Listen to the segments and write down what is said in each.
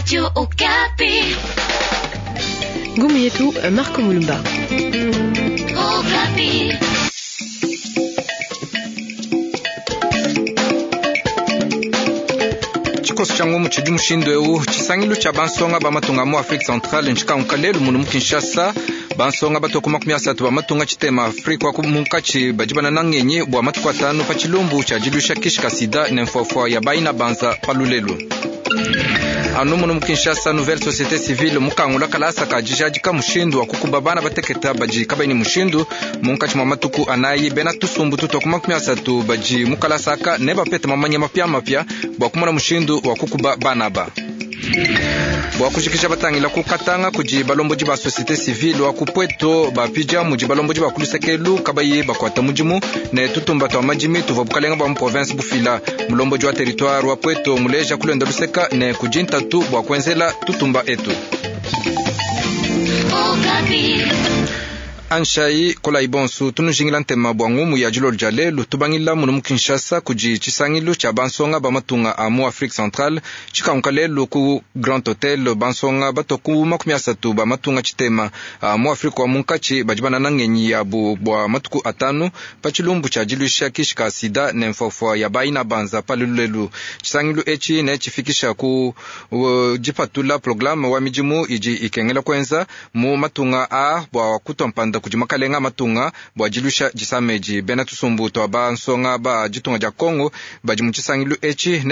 Radio Okapi. Ngumu yetu Marco Mulumba. Okapi. Tshikoso tshia ngumu tshidi mushindu eu tshisangilu tshia bansonga ba matunga mu Afrique Centrale ntshikanguka lelu munu mu Kinshasa. Bansonga batue ku 30 ba matunga tshitema Afrika wa munkatshi badi banana ngenyi bua matuku atanu pa tshilumbu tshia diluisha kishi ka sida ne mfuafua ya bayina banza pa lulelu. Anu munu mu Kinshasa, Nouvelle Société Civile mukangula kalasa ka dijadika mushindu wa kukuba bana bateketa badi kabayi ne mushindu. Munkatshi mua matuku anayi bena tusumbu tutua ku 30 badi mu kalasa aka ne bapete mamanya mapiamapia bua kumona mushindu wa kukuba bana aba. Bua kujikija batangila ku Katanga kudi balombodi ba société civile wa ku Pweto bapidia mudi balombodi ba ku lusekelu kabayi bakuata mudimu ne tutumba tua madimi tuvua bukalenga bua mu province bufila. Mulombodi wa territoire wa Pweto muleja kulenda luseka ne kudi ntatu bua kuenzela tutumba etu. Anshai kolayi bonsu tunujingila ntema bua ngumu ya dilolo dia lelu. Tubangila munu mu Kinshasa kudi tshisangilu tshia bansonga ba matunga a mu Afrique Centrale tshikanguka lelu ku Grand Hotel. Bansonga batua ku 30 ba matunga tshitema a mu Afrika wa munkatshi badi banana ngenyi yabu bua matuku atanu pa tshilumbu tshia diluisha kishi ka sida ne mfuafua ya bayina banza pa lulelu. Tshisangilu etshi ne tshifikisha ku dipatula programme wa midimu idi ikengela kuenza mu matunga a bua kutua mpanda kudi makalenga matunga bua dilusha disama edi. Bena tusumbu tua bansonga ba ditunga dia Kongo badi mu tshisangilu etshi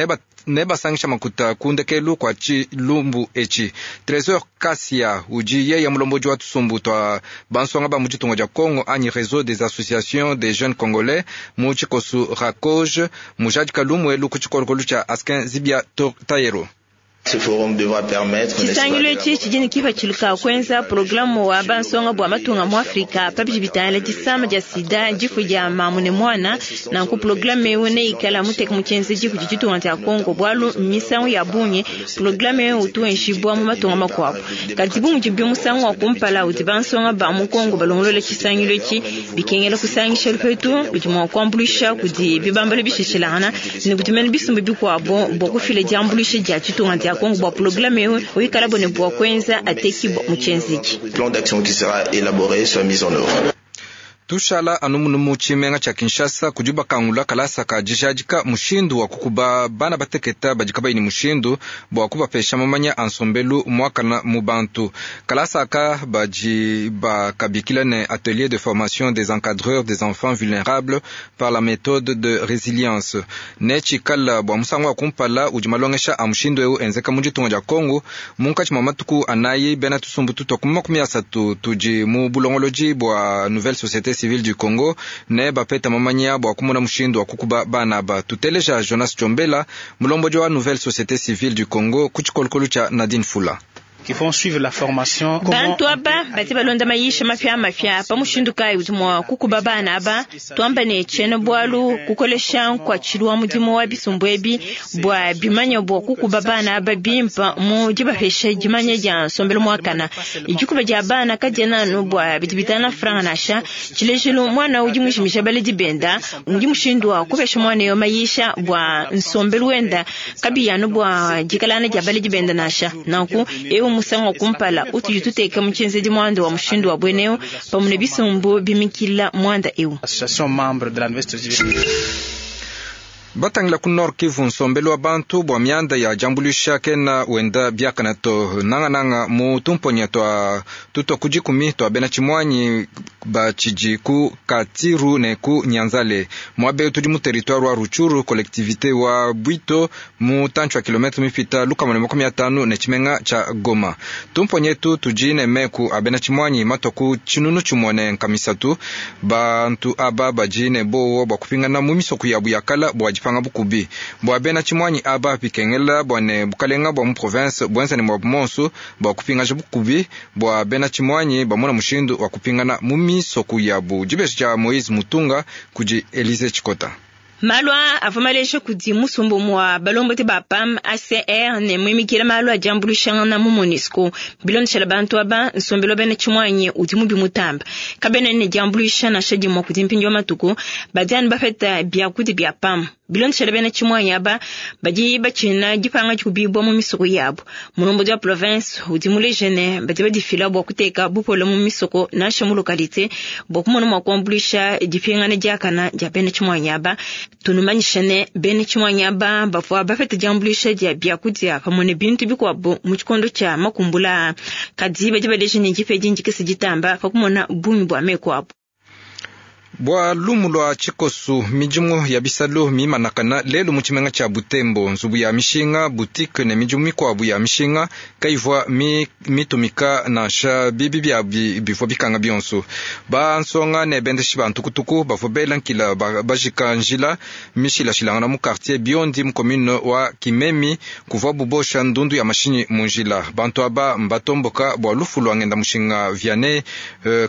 ne basangisha makuta ku ndekelu kua tshilumbu etshi. Tresor Kasia udi yeye mulombodi wa tusumbu tua bansonga ba mu ditunga dia Kongo anyi Réseau des associations des jeunes congolais mu tshikosu Rakoge mujadika lumuelu ku tshikolokolo tshia Askin Zibia Tayero. Tshisangilu etshi tshidi ne kipatshila ka kuenza programu wa bansonga bua matunga mu Afrika pa bidi bitangila disama dia sida, difu dia mamu ne muana. Nanku programu eu neikala muteka mu tshienzedi kudi ditunga dia Kongo, bualu misangu ya bungi programu eu utu wenjibua mu matunga makuabu. Kadi bu mudibi musangu wa kumpala udi bansonga ba mu Kongo balongolola tshisangilu etshi, bikengela kusangisha lupetu ludi mua kuambuluisha kudi bibambalu bishishilangana ne kudi mene bisumbu bikuabu bua kufila diambuluisha dia ditunga dia Kongo bua programu eu uikala bone bua kuenza atekibua mu tshienzedi. Plan d'action qui sera élaboré soit mis en œuvre. Tushala anu munu mu tshimenga tshia Kinshasa kudi bakangula kalasa ka dijadika mushindu wa kukuba bana bateketa badi kabayi ne mushindu bua kubapesha mamanya a nsombelu muakana mu bantu. Kalasa aka badi bakabikila ne atelier de formation des encadreurs des enfants vulnérables par la méthode de résilience. Ne tshikala bua musangu wa kumpala udi malongesha a mushindu eu enzeka mu ditunga dia Kongo munkatshi mua matuku anayi bena tusumbu tutua ku 30 tudi mu bulongolodi bua Nouvelle Société Civile du Congo ne bapeta mamanya bua kumona mushindu wa kukuba bana aba. Tuteleja Jonas Tchombela, mulombodi wa Nouvelle Société Civile du Congo ku tshikolokolo tshia Nadine Fula. Qui vont suivre la formation. Bantu aba badi balonda mayisha mapia mapia pa mushindu kayi udi mua kukuba bana aba. Tuamba ne tshiena bualu kukolesha nkuatshilu wa mudimu wa bisumbu ebi bua bimanya bua kukuba bana aba bimpa mu dibapesha dimanya dia nsombelu muakana. Dikuba dia bana kadiena anu bua bidi bitana franga nansha. Tshilejilu mwana udi mujimisha baledi benda udi mushindu wa kupesha mwana yo mayisha bua nsombelu wenda kabiyi anu bua dikalana dia baledi benda nansha. Nanku eu musangu wa kumpala utudi tuteka mu tshienzedi muanda wa mushindu wa bweneu pamue ne bisumbu bimikila muanda eu. Association membre de la Nouvelle Société Civile. Batangila ku Nord Kivu nsombelu wa bantu bua mianda ya diambuluisha kena wenda biakana to nangananga mu tumponya tua tutua ku dikumi tua bena tshimuanyi batshidi ku Katiru ne ku Nyanzale muaba tudi mu territoire wa Rutshuru collectivité wa Bwito mu tantshi wa kilometre mipita 150 ne tshimenga tshia Goma. Tumponya etu tudi ne meku a bena tshimuanyi matua ku 1300. Bantu aba badi ne bowo bua kupingana mu misoko yabu ya kala bua dipanga bukubi bua bena tshimuanyi aba bikengela bua ne bukalenga bua mu province buenza ne muabu monsu bua kupingaja bukubi bua bena tshimuanyi bamona mushindu wa kupingana mu misoko yabu. Dibeji dia Moise Mutunga kudi Elise Tshikota. Malu aa avua maleja kudi musumba wa balombodi ba PAM ACR ne muimikila malu a diambuluishangana mu MONUSCO. Bilondeshela bantu aba, nsombelu wa bena tshimuanyi udi mubi mutamba. Kabena ne diambuluisha nansha dimue kudi mpindieu wa matuku, badi anu bapeta biakudia bia PAM. Bilondeshela bena tshimuanyi aba, badi batshina dipanga dikubibua mu misoko yabu. Mulombodi wa province udi muleje ne badi badifila bua kuteka bupole mu misoko nansha mu localité bua kumona mua kuambuluisha dipingana diakana dia bena tshimuanyi aba. Tunumanyisha ne bena tshimuanyi aba bavua bapeta diambuluisha dia biakudia pamue ne bintu bikuabu mu tshikondo tshia makumbula, kadi badi baleja ne dipa edi ndikese ditamba pa kumona bungi bua meku abu. Bua lumu lua tshikosu, midimu ya bisalu mimanakana lelu mu tshimenga tshia Butembo. Nzubu ya mishinga, boutique ne midimu mikuabu ya mishinga kayivua mitumika nansha bibi biabi bivua bikanga bionso. Bansonga ne bendeshi ba ntukutuku bavua bela nkila bajika njila mishilashilangana mu quartier Biondi mu commune wa Kimemi kuvua bubosha ndundu ya mashinyi mu njila. Bantu aba mbatomboka bua lufu lua ngenda mushinga Vianney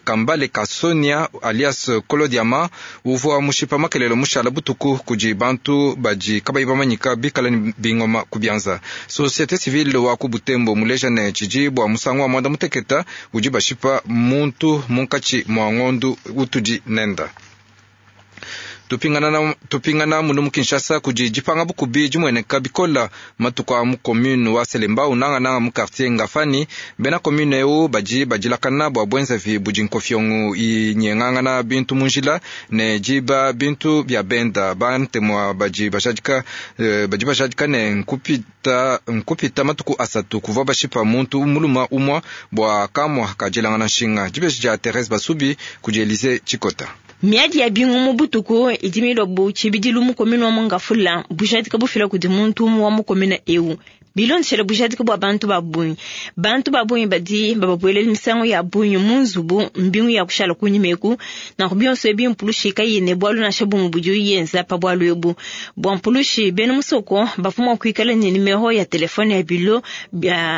Kambale Kasonia alias Kolodiama uvua mushipa makelelo mushala butuku kudi bantu badi kabayi bamanyika bikala ne bingoma ku bianza. Société civile wa ku Butembo muleja ne tshidi bua musangu wa mwanda muteketa udi bashipa muntu munkatshi mua ngondu utudi nenda. Tupingana munu mu Kinshasa kudi dipanga bukubi dimueneka bikola matuku a mu commune wa Selembao nangananga mu quartier Ngafani. Bena commune eu badi badilakana bua bwenzavi budi nkofiongo inyengangana bintu mu njila ne diba bintu bia benda. Bantemwa badi bajadika ne nkupita matuku asatu kuvua bashipa muntu muluma umwa bua kamwa kadilangana nshinga. Dibeji dia Therese Basubi kudi Elise Chikota. Miadi ya bingu mu butuku idi milobu tshibidilu mu commune wa Mongafula bujadika bufila kudi muntu wa mu commune eu. Bilondeshela bujadika bua bantu ba bungi. Bantu ba bungi badi bababwelela misangu ya bungi mu nzubu mbingu ya kushala kunyimeku nanku bionso ebi mpulushi kayine bwalu nansha bumu budi yenza pa bwalu ebu. Bua mpulushi bena musoko bavua mua kuikala ne nimero ya telefone ya bilo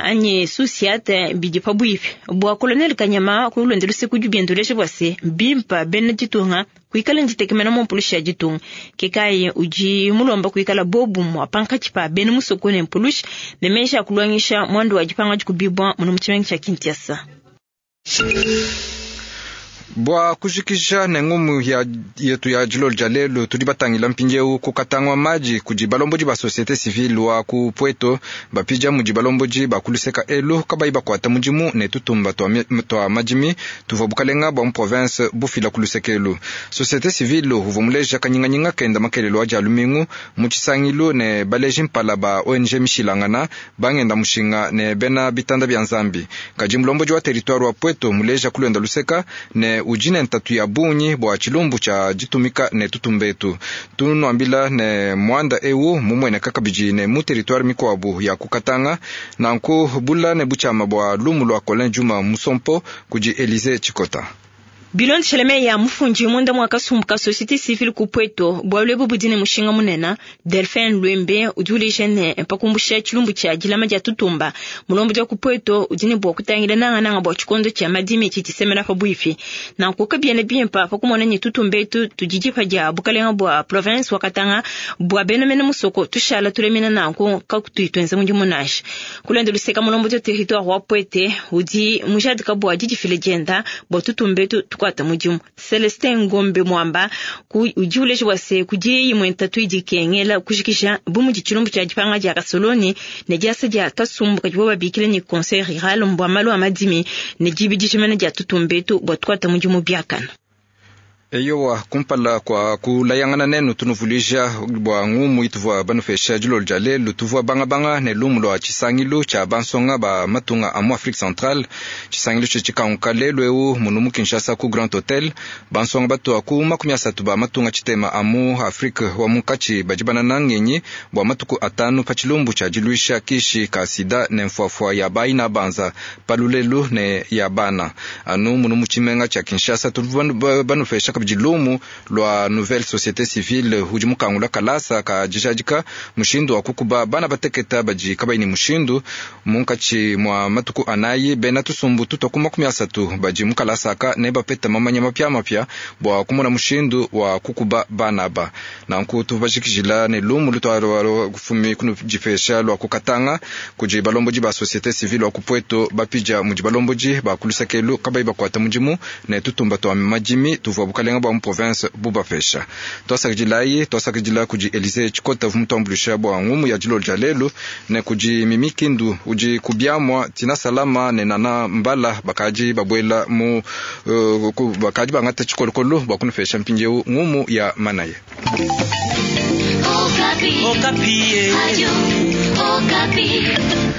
anyi susiate bidi pabuipi. Bua Colonel Kanyama kulondela luseku dibiendolesha bua se bimpa bena ditunga kuikala nditekemena mu mpulushi ya ditunga. Kekaye udi mulomba kuikala bobu mua pankatshi pa bena musoko ne mpulushi ne menshi akulongesha mwandu wa dipanga dikubibwa muno mu tshimenga tshia Kinshasa. Bua kujikija ne ngumu ya yetu ya dilolo dia lelu tudi batangila mpindieu kukatangwa maji kudi balombodi ba société civile wa ku Pweto bapija mudi balombodi ba kuluseka elu kabayi bakuata mudimu ne tutumba tua madimi tuvua bukalenga bua mu province bufila kuluseka elu. Société civile uvua muleja kanyinganyinga kenda makelelo adia lumingu mu tshisangilu ne baleji mpala ba ONG mishilangana bangenda mushinga ne bena bitanda bia Nzambi. Kadi mulombodi wa territoire wa Pweto muleja kulwenda luseka ne ujine ntatu ya bungi bua tshilumbu tshia ditumika ne tutumbetu. Tunuambila ne mwanda eu mumueneka kabidi ne mu territoire mikuabu ya kukatanga nanku bula ne buchama bua lumu lua Colin Juma Musompo kudi Elise Chikota. Bilondeshela meyi mufundi munda mwa kasumbu ka société civile ku Pweto bwalu ebu budi ne mushinga munene Delphin Lwembe udi uleja ne pakumbusha tshilumbu tshia dilama dia tutumba mulombodi wa ku Pweto udi ne bua kutangila nangananga bua tshikondo tshia madimi tshitisemena pabuipi nanku kabiena bimpa pakumona ne tutumba etu tudi dipa dia bukalenga bua province wa Katanga bua bena mene musoko tushala tulemena nanku kakutuitwenza mudimu nansha kulonda luseka mulombodi wa territoire wa Pwete udi mujadika bua didifila dienda bua tutumba etu tukwata mudimu. Celestin Ngombe Mwamba udi uleja bua se kudi imue ntatu idi ikengela kujikija bu mudi tshilumbu tshia dipanga dia kasoloni ne diasa dia kasumbu kadibo babikila ne conseil rural mbua malu a madimi ne dibidijimana dia tutumba etu bua tukwata mudimu biakana. Eyowa kumpala kwa kulayangana nenu tunuvulija bua ngumu ituvua banufesha dilolo dia lelu tuvua bangabanga ne lumu lua tshisangilu tshia bansonga ba matunga a mu Afrique Centrale. Tshisangilu tshikanguka lelu eu munu mu Kinshasa ku Grand Hotel. Bansonga batua ku 30 ba matunga tshitema a mu Afrique wa munkatshi badi banana ngenyi bua matuku atanu pa tshilumbu tshia diluisha kishi ka sida ne mfuafua ya bayi na banza palulelu ne ya bana anu munu mu tshimenga tshia Kinshasa tuvua banufesha kabidi lumu lua Nouvelle Societe Civile udi mukangula kalasa ka dijadika mushindu wa kukuba bana bateketa badi kabayi ne mushindu. Munkatshi mua matuku anayi bena tusumbu tutua ku 30 badi mu kalasa aka ne bapeta mamanya mapiamapia bua kumona mushindu wa kukuba bana aba. Nanku tubajikijila ne lumu lutua kufumi kunudipesha lua kukatanga kudi balombodi ba societe civile wa ku Pweto bapija mudi balombodi ba kulusakelu kabayi bakuata mudimu ne tutumba tua madimi tuvua bukalenga bua mu province bubapesha. Tuasakidilayi, tuasakidila kudi Elise Tshikota vumutuambulisha bua ngumu ya dilolo dia lelu ne kudi Mimi Kindu udi kubiamua Tina Salama ne Nana Mbala bakadi babuela mu bakadi bangata tshikolokolo bua kunupesha mpindieu ngumu ya manaya. Okapi. Okapi. Adio. Okapi.